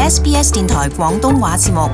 SBS 電台廣東話節目。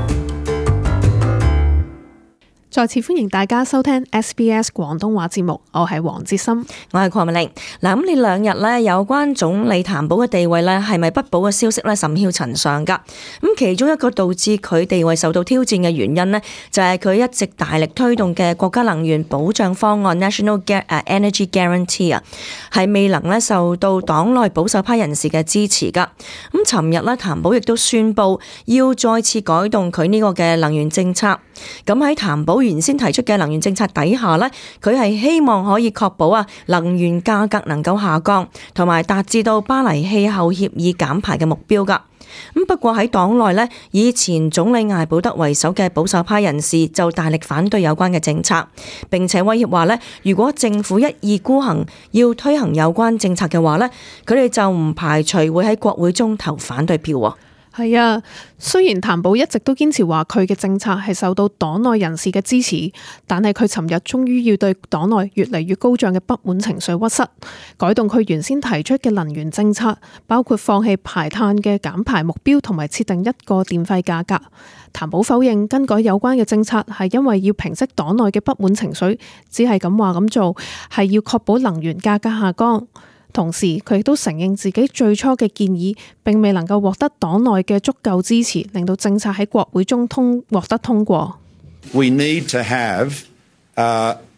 再次歡迎大家收聽 SBS 廣東話節目，我係黃哲森，我係鄺美玲。嗱，咁呢兩日呢，有關總理譚寶嘅地位呢，係咪不保嘅消息呢，甚囂塵上噶。咁其中一個導致佢地位受到挑戰嘅原因呢，就係佢一直大力推動嘅國家能源保障方案 National Energy Guarantee 啊，係未能呢受到黨內保守派人士嘅支持噶。咁尋日呢，譚寶亦都宣布要再次改動佢呢個嘅能源政策。咁喺譚寶原先提出嘅能源政策底下呢，佢係希望可以確保能源價格能夠下降，同埋達至到巴黎氣候協議減排嘅目標噶。咁不過喺黨內呢，以前總理艾保德為首嘅保守派人士就大力反對有關嘅政策，並且威脅話呢，如果政府一意孤行要推行有關政策嘅話呢，佢哋就唔排除會喺國會中投反對票。係啊，雖然譚寶一直都堅持話佢嘅政策係受到黨內人士嘅支持，但係佢尋日終於要對黨內越嚟越高漲嘅不滿情緒屈膝，改動佢原先提出嘅能源政策，包括放棄排碳嘅減排目標同埋設定一個電費價格。譚寶否認更改有關嘅政策係因為要平息黨內嘅不滿情緒，只係咁話咁做係要確保能源價格下降。同時，佢亦都承認自己最初嘅建議並未能夠獲得黨內嘅足夠支持，令到政策喺國會中獲得通過。We need to have,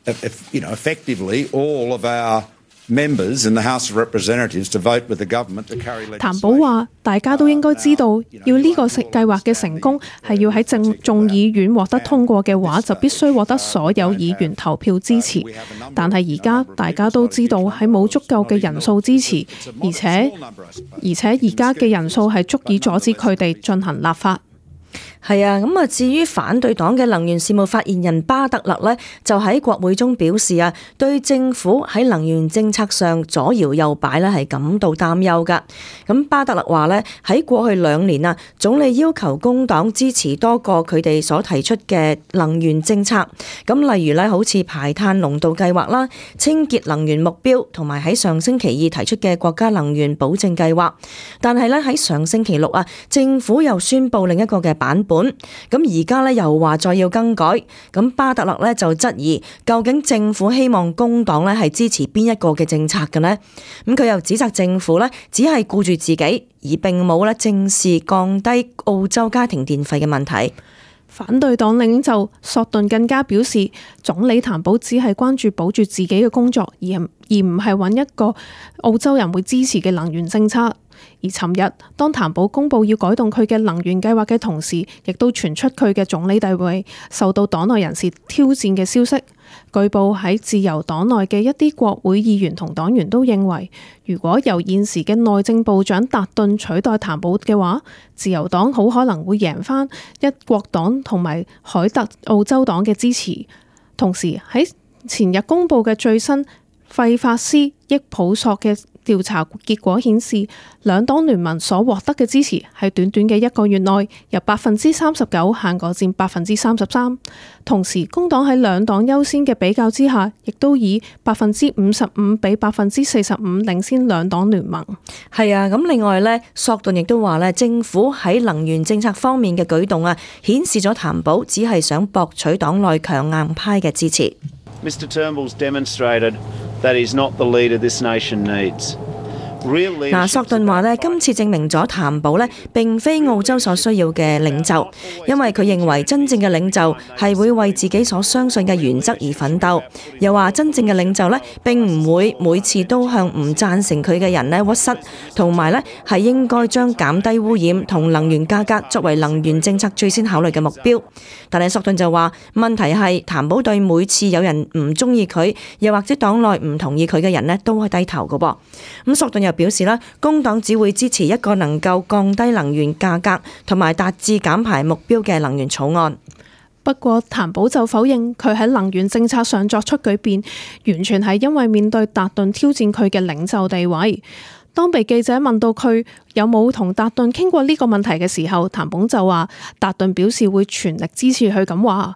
effectively all of our members in the House of Representatives to vote with the government to carry legislation. 譚寶話：大家都應該知道，要呢個計劃嘅成功係要喺眾議院獲得通過嘅話，就必須獲得所有議員投票支持。但係而家大家都知道係冇足夠嘅人數支持，而且而家嘅人數係足以阻止佢哋進行立法。係啊，咁至於反對黨嘅能源事務發言人巴特勒呢，就喺國會中表示對政府喺能源政策上左搖右擺呢係感到擔憂噶。咁巴特勒話呢，喺過去2年總理要求工黨支持多個佢哋所提出嘅能源政策，咁例如呢，好似排碳濃度計劃啦、清潔能源目標，同埋喺上星期2提出嘅國家能源保證計劃。但係呢，喺上星期6政府又宣布另一個嘅版本。咁而家咧又話再要更改，咁巴特勒咧就質疑究竟政府希望工黨咧係支持邊一個嘅政策嘅呢？咁佢又指責政府咧只係顧住自己，而並冇咧正視降低澳洲家庭電費嘅問題。反對黨領袖索頓更加表示，總理譚寶只係關注保住自己嘅工作，而唔係揾一個澳洲人會支持嘅能源政策。而尋日，當譚寶公布要改動佢嘅能源計劃嘅同時，亦都傳出佢嘅總理地位受到黨內人士挑戰嘅消息。據報喺自由黨內嘅一啲國會議員同黨員都認為，如果由現時嘅內政部長達頓取代譚寶嘅話，自由黨好可能會贏返一國黨同埋凱特澳洲黨嘅支持。同時喺前日公布嘅最新費法斯益普索嘅調查結果顯示，兩黨聯盟所獲得嘅支持喺短短嘅1個月內由39%下降至33%。同時，工黨喺兩黨優先嘅比較之下，亦都以55%比45%領先兩黨聯盟。係啊，咁另外呢，索頓亦都話呢，政府喺能源政策方面嘅舉動顯示咗譚寶只係想博取黨內強硬派嘅支持。Mr. Turnbull's demonstrated that he's not the leader this nation needs. 索頓話呢，今次證明咗譚寶呢並非澳洲所需要嘅領袖，因為佢認為真正嘅領袖係會為自己所相信嘅原則而奮鬥。又話真正嘅領袖呢並唔會每次都向唔贊成佢嘅人呢屈膝，同埋呢係應該將減低污染同能源價格作為能源政策最先考慮嘅目標。但係索頓就話問題係譚寶對每次有人唔中意佢，又或者黨內唔同意佢嘅人呢都係低頭嘅噃。咁索頓又表示啦，工黨只會支持一個能夠降低能源價格同埋達至減排目標嘅能源草案。不過譚寶就否認佢喺能源政策上作出改變，完全係因為面對達頓挑戰佢嘅領袖地位。當被記者問到佢有冇同達頓傾過呢個問題嘅時候，譚寶就話達頓表示會全力支持佢咁話。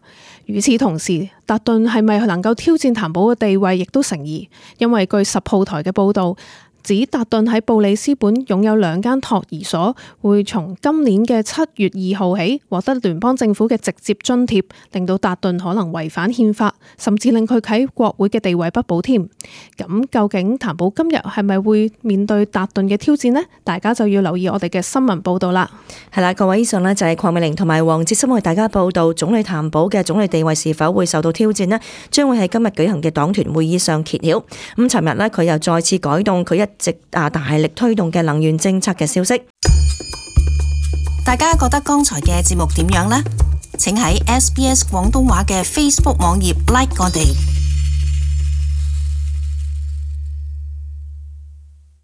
與此同時，達頓係咪能夠挑戰譚寶嘅地位亦都成疑，因為據10號台嘅報導，指達頓喺布里斯本擁有2間托兒所，會從今年嘅7月2號起獲得聯邦政府嘅直接津貼，令到達頓可能違反憲法，甚至令佢喺國會嘅地位不保添。咁究竟譚寶今日係咪會面對達頓嘅挑戰呢？大家就要留意我哋嘅新聞報導啦。係啦，各位，以上呢就係鄺美玲同埋黃哲森為大家報導總理譚寶嘅總理地位是否會受到挑戰呢？將會喺今日舉行嘅黨團會議上揭曉。咁尋日呢，佢又再次改動佢一直大力推動嘅能源政策嘅消息。大家覺得剛才嘅節目點樣呢？請喺SBS 廣東話嘅 Facebook 網頁 like 我哋。